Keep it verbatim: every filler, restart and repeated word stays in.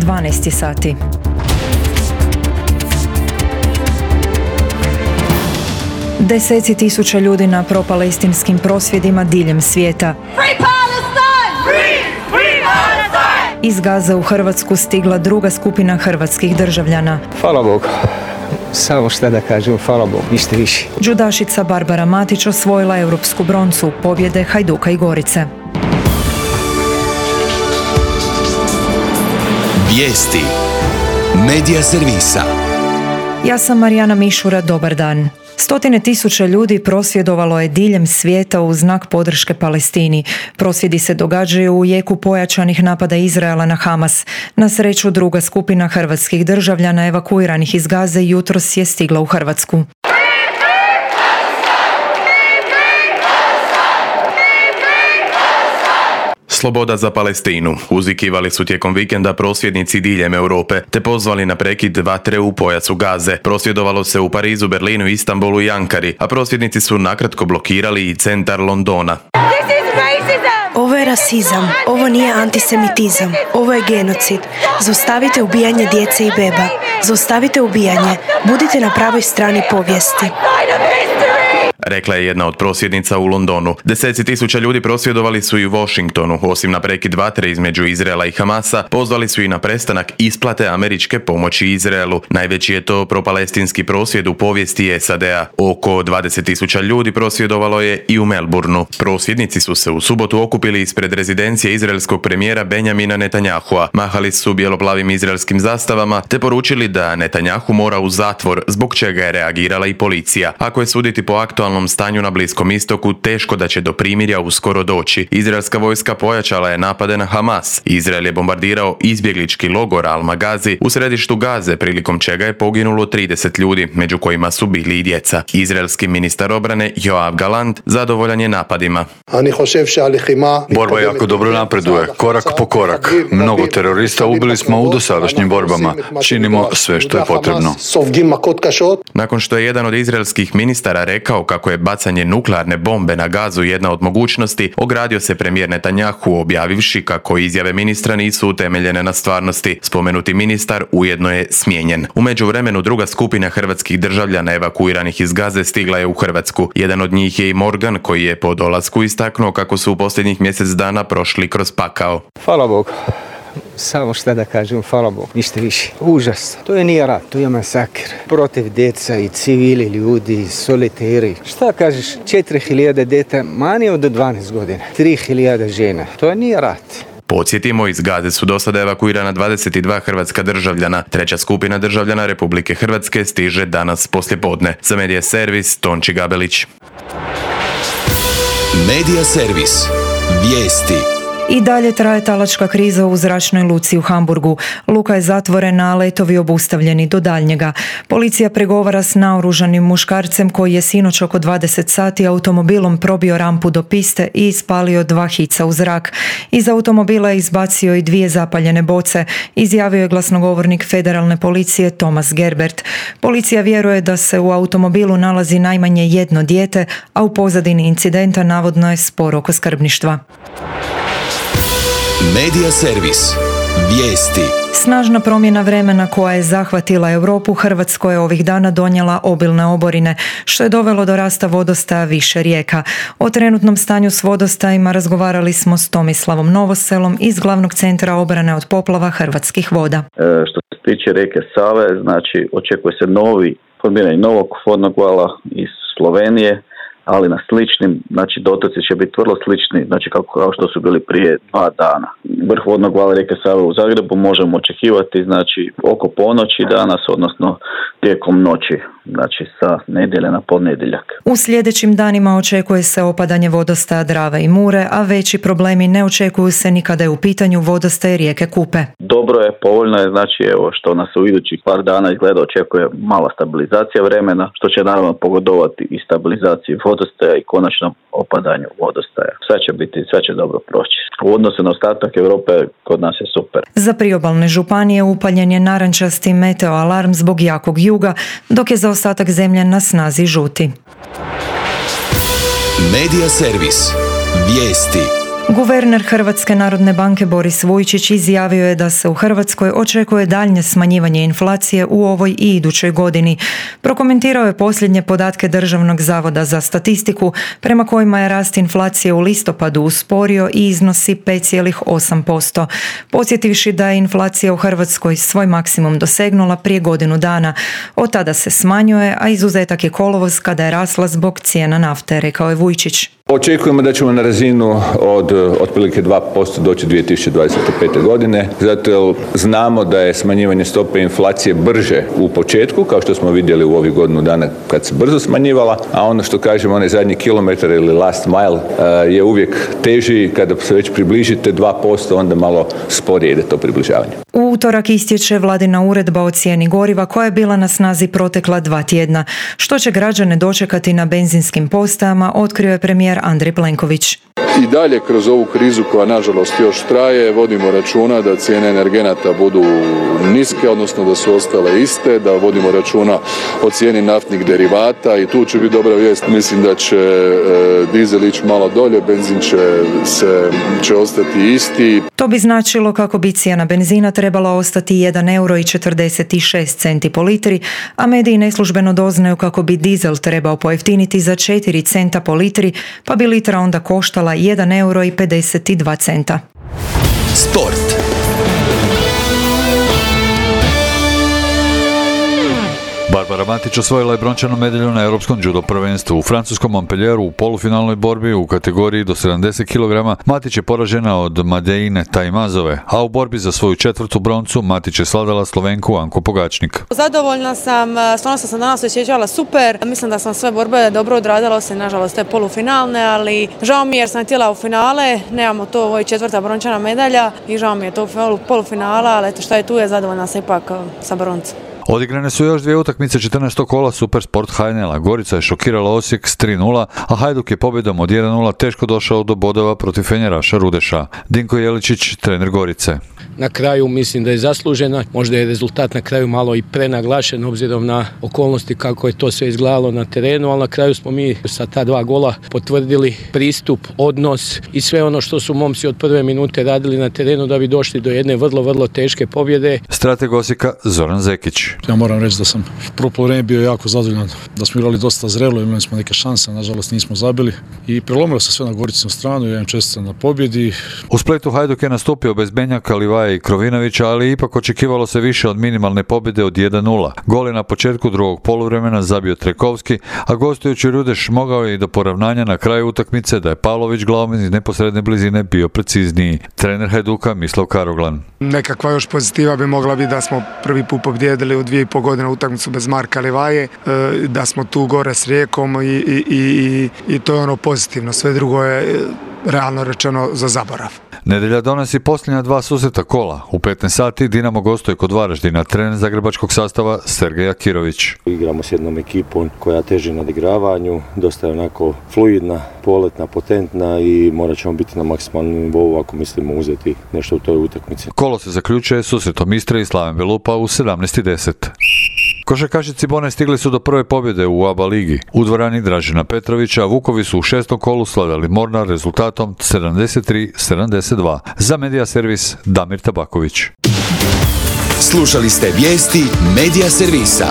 dvanaest sati. Deseci tisuća ljudi na propalestinskim prosvjedima diljem svijeta. Iz Gaze u Hrvatsku stigla druga skupina hrvatskih državljana. Hvala Bogu. Samo šta da kažem, hvala Bogu, ništa više. Džudašica Barbara Matić osvojila europsku broncu, pobjede Hajduka i Gorice. Vijesti Medija servisa. Ja sam Marijana Mišura, dobar dan. Stotine tisuća ljudi prosvjedovalo je diljem svijeta u znak podrške Palestini. Prosvjedi se događaju u jeku pojačanih napada Izraela na Hamas. Na sreću, druga skupina hrvatskih državljana evakuiranih iz Gaze jutros je stigla u Hrvatsku. Sloboda za Palestinu. Uzvikivali su tijekom vikenda prosvjednici diljem Europe, te pozvali na prekid vatre u pojasu Gaze. Prosvjedovalo se u Parizu, Berlinu, Istanbulu i Ankari, a prosvjednici su nakratko blokirali i centar Londona. Ovo je rasizam, ovo nije antisemitizam, ovo je genocid. Zaustavite ubijanje djece i beba. Zaustavite ubijanje. Budite na pravoj strani povijesti. Rekla je jedna od prosvjednica u Londonu. Deseci tisuća ljudi prosvjedovali su i u Washingtonu. Osim na prekid vatre između Izraela i Hamasa, pozvali su i na prestanak isplate američke pomoći Izraelu. Najveći je to propalestinski prosvjed u povijesti S A D-a. Oko dvadeset tisuća ljudi prosvjedovalo je i u Melbourneu. Prosvjednici su se u subotu okupili ispred rezidencije izraelskog premijera Benjamina Netanyahua. Mahali su bijelo-plavim izraelskim zastavama te poručili da Netanyahu mora u zatvor, zbog čega je reagirala i policija. Ako je suditi po aktualnom stanju na Bliskom istoku, teško da će do primirja uskoro doći. Izraelska vojska pojačala je napade na Hamas. Izrael je bombardirao izbjeglički logor Al-Magazi u središtu Gaze, prilikom čega je poginulo trideset ljudi, među kojima su bili i djeca. Izraelski ministar obrane Yoav Gallant zadovoljan je napadima. Borba jako dobro napreduje, korak po korak. Mnogo terorista ubili smo u dosadašnjim borbama. Činimo sve što je potrebno. Nakon što je jedan od izraelskih ministara rekao kako je bacanje nuklearne bombe na Gazu jedna od mogućnosti, ogradio se premijer Netanyahu objavivši kako izjave ministra nisu utemeljene na stvarnosti. Spomenuti ministar ujedno je smijenjen. U međuvremenu druga skupina hrvatskih državljana evakuiranih iz Gaze stigla je u Hrvatsku. Jedan od njih je i Morgan, koji je po dolasku istaknuo kako su u posljednjih mjesec dana prošli kroz pakao. Hvala Bogu. Samo šta da kažem, hvala Bogu, ništa više. Užas. To je nije rat, to je masakr. Protiv djeca i civili ljudi, soliteri. Šta kažeš, četiri hiljade djeta manje od dvanaest godina. tri hiljade žena. To je nije rat. Podsjetimo, iz Gaze su do sada evakuirana dvadeset dva hrvatska državljana. Treća skupina državljana Republike Hrvatske stiže danas poslijepodne. Za Medija servis, Tonči Gabelić. Medija servis. Vijesti. I dalje traje talačka kriza u zračnoj luci u Hamburgu. Luka je zatvorena, a letovi obustavljeni do daljnjega. Policija pregovara s naoružanim muškarcem koji je sinoć oko dvadeset sati automobilom probio rampu do piste i ispalio dva hica u zrak. Iz automobila je izbacio i dvije zapaljene boce, izjavio je glasnogovornik federalne policije Thomas Gerbert. Policija vjeruje da se u automobilu nalazi najmanje jedno dijete, a u pozadini incidenta navodno je spor oko skrbništva. Medija servis. Vijesti. Snažna promjena vremena koja je zahvatila Europu Hrvatskoj je ovih dana donijela obilne oborine, što je dovelo do rasta vodostaja više rijeka. O trenutnom stanju s vodostajima razgovarali smo s Tomislavom Novoselom iz Glavnog centra obrane od poplava Hrvatskih voda. E, što se tiče rijeke Save, znači očekuje se novi, formiranje novog vodnog vala iz Slovenije, ali na sličnim, znači dotoci će biti vrlo slični, znači kako, kao što su bili prije dva dana. Vrh vodnog vala rijeke Save u Zagrebu možemo očekivati, znači oko ponoći danas, odnosno tijekom noći, znači sa nedjelje na ponedjeljak. U sljedećim danima očekuje se opadanje vodostaja Drave i Mure, a veći problemi ne očekuju se ni kada je u pitanju vodostaj rijeke Kupe. Dobro je, povoljno je, znači evo što nas u idućih par dana izgleda očekuje mala stabilizacija vremena, što će naravno pogodovati i stabilizaciji vodostaja i konačnom opadanju vodostaja. Sve će biti, sve će dobro proći. U odnosu na ostatak Europe kod nas je super. Za priobalne županije upaljen je narančasti meteo alarm zbog jakog juga, dok je za ostatak zemlje na snazi žuti. Medija servis. Vijesti. Guverner Hrvatske narodne banke Boris Vujčić izjavio je da se u Hrvatskoj očekuje daljnje smanjivanje inflacije u ovoj i idućoj godini. Prokomentirao je posljednje podatke Državnog zavoda za statistiku prema kojima je rast inflacije u listopadu usporio i iznosi pet zarez osam posto. Podsjetivši da je inflacija u Hrvatskoj svoj maksimum dosegnula prije godinu dana. Od tada se smanjuje, a izuzetak je kolovoz kada je rasla zbog cijena nafte, rekao je Vujčić. Očekujemo da ćemo na razinu od otprilike dva posto doći dvije tisuće dvadeset pete. godine, zato jer znamo da je smanjivanje stope inflacije brže u početku, kao što smo vidjeli u ovih godinu dana kad se brzo smanjivala, a ono što kažemo, onaj zadnji kilometar ili last mile je uvijek teži. Kada se već približite dva posto, onda malo sporije ide to približavanje. U utorak istječe vladina uredba o cijeni goriva koja je bila na snazi protekla dva tjedna. Što će građane dočekati na benzinskim postajama, otkrio je premijer Andrej Plenković. I dalje kroz ovu krizu koja nažalost još traje, vodimo računa da cijene energenata budu niske, odnosno da su ostale iste, da vodimo računa o cijeni naftnih derivata i tu će biti dobra vijest. Mislim da će e, dizel ići malo dolje, benzin će, se, će ostati isti. To bi značilo kako bi cijena benzina trebala ostati jedan euro i četrdeset šest centi po litri, a mediji neslužbeno doznaju kako bi dizel trebao pojeftiniti za četiri centa po litri, pa bi litra onda koštala jedan euro i pedeset dva centa. Sport. Barbara Matić osvojila je brončanu medalju na Europskom judo prvenstvu. U francuskom Montpellieru u polufinalnoj borbi u kategoriji do sedamdeset kilograma Matić je poražena od Madeine Tajmazove, a u borbi za svoju četvrtu broncu Matić je svladala Slovenku Anku Pogačnik. Zadovoljna sam, stvarno sam danas osjećala super. Mislim da sam sve borbe dobro odradila, osim nažalost te polufinalne, ali žao mi je jer sam htjela u finale, nemamo to, ovo je četvrta brončana medalja i žao mi je to u polufinala, ali eto šta je tu je, zadovoljna sam ipak sa broncom. Odigrane su još dvije utakmice četrnaestog kola Supersport Hajnela. Gorica je šokirala Osijek s tri nula, a Hajduk je pobjedom od jedan nula teško došao do bodova protiv Fenjeraša Rudeša. Dinko Jeličić, trener Gorice. Na kraju mislim da je zaslužena, možda je rezultat na kraju malo i prenaglašen obzirom na okolnosti kako je to sve izgledalo na terenu, ali na kraju smo mi sa ta dva gola potvrdili pristup, odnos i sve ono što su momci od prve minute radili na terenu da bi došli do jedne vrlo, vrlo teške pobjede. Strateg Osijeka Zoran Zekić. Ja moram reći da sam prvo poluvreme bio jako zadovoljan, da smo igrali dosta zrelo, imali smo neke šanse, nažalost nismo zabili i prelomilo se sve na Goricinu stranu i ja im čestitam na pobjedi. U Splitu Hajduk je nastupio bez Benjaka, Livaje i Krovinovića, ali ipak očekivalo se više od minimalne pobjede od jedan nula. Gol je na početku drugog poluvremena zabio Trekovski, a gostujući Rudeš mogao je i do poravnanja na kraju utakmice da je Pavlović glavom iz neposredne blizine bio precizniji. Trener Hajduka Mislav Karoglan. Nekakva još pozitiva bi mogla biti da smo prvi put pobjedili u dvije i pol godine utakmicu bez Marka Livaje, da smo tu gore s Rijekom i, i, i, i to je ono pozitivno. Sve drugo je realno rečeno za zaborav. Nedjelja donosi posljednja dva susreta kola. U petnaest sati Dinamo gostuje kod Varaždina, trener zagrebačkog sastava Sergej Akirović. Igramo s jednom ekipom koja teži na odigravanju, dosta je onako fluidna, poletna, potentna i morat ćemo biti na maksimalnom nivou ako mislimo uzeti nešto u toj utakmici. Kolo se zaključuje susretom Istre i Slaven Belupa u sedamnaest i deset. Košarkaši Cibone stigli su do prve pobjede u A B A ligi. U dvorani Dražena Petrovića Vukovi su u šestom kolu svladali Mornar rezultatom sedamdeset tri sedamdeset dva. Za Medija servis Damir Tabaković. Slušali ste vijesti Medija servisa.